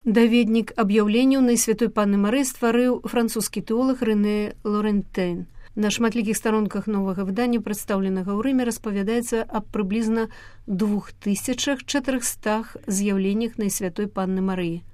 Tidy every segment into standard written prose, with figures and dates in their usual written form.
Даведнік аб'яўленняў Найсвятой Панны Марыі стварыў французскі тэолог Рэне Лорентейн. На шматлікіх старонках новага выдання, прадстаўленага ў Рыме, распавядаецца аб прыблізна 2400 з'яўленнях Найсвятой Панны Марыі.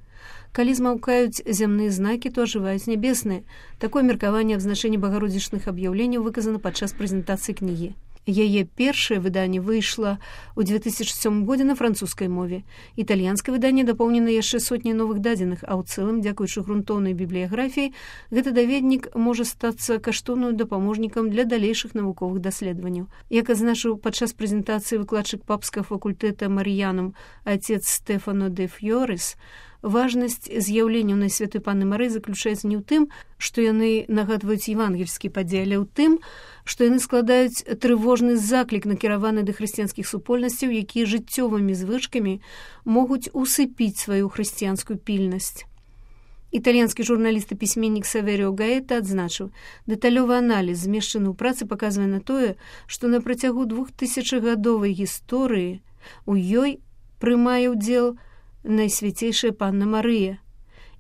Калі змаўкаюць зямныя знакі, то ажываюць нябесныя. Такое меркаванне аб значэнні багародзічных аб'яўленняў выказана падчас прэзентацыі кнігі. Яе першае выданне выйшла ў 2007 годзе на французскай мове. Італьянскае выданне дапоўнена яшчэ сотняй новых дадзеных, а ў цэлым, дзякуючы грунтоўнай бібліяграфіі, гэты даведнік можа стацца каштоўным дапаможнікам для далейшых навуковых даследаванняў. Як адзначыў падчас прэзентацыі выкладчык папскага факультэта Марыянам отец Стефано де Фьорес, важнасць з'яўленняў Найсвятой Панны Марыі заключаецца не ў тым, што яны нагадваюць евангельскі падзеі, але ў тым, што яны складаюць трывожны заклік, накіраваны да хрысціянскіх супольнасцяў, якія жыццёвымі звычкамі могуць усыпіць сваю хрысціянскую пільнасць. Італьянскі журналіст і пісьменнік Саверіо Гаэта адзначыў, дэталёвы аналіз, змешчаны ў працы, паказвае на тое, што на працягу 2000-гадовай гісторыі у ёй прымае ўдзел Найсвяцейшая Панна Марыя.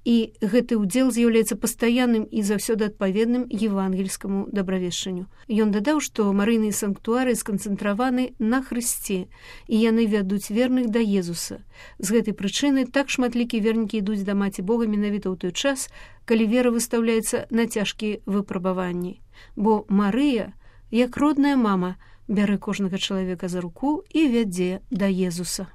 І гэты ўдзел з'яўляецца пастаянным і заўсёды адпаведным евангельскаму дабравешчанню. Ён дадаў, што марыйныя санктуары сканцэнтраваны на Хрысце, і яны вядуць верных да Езуса. З гэтай прычыны так шматлікія вернікі ідуць да Маці Бога менавіта ў той час, калі вера выстаўляецца на цяжкія выпрабаванні. Бо Марыя, як родная мама, бярэ кожнага чалавека за руку і вядзе да Езуса.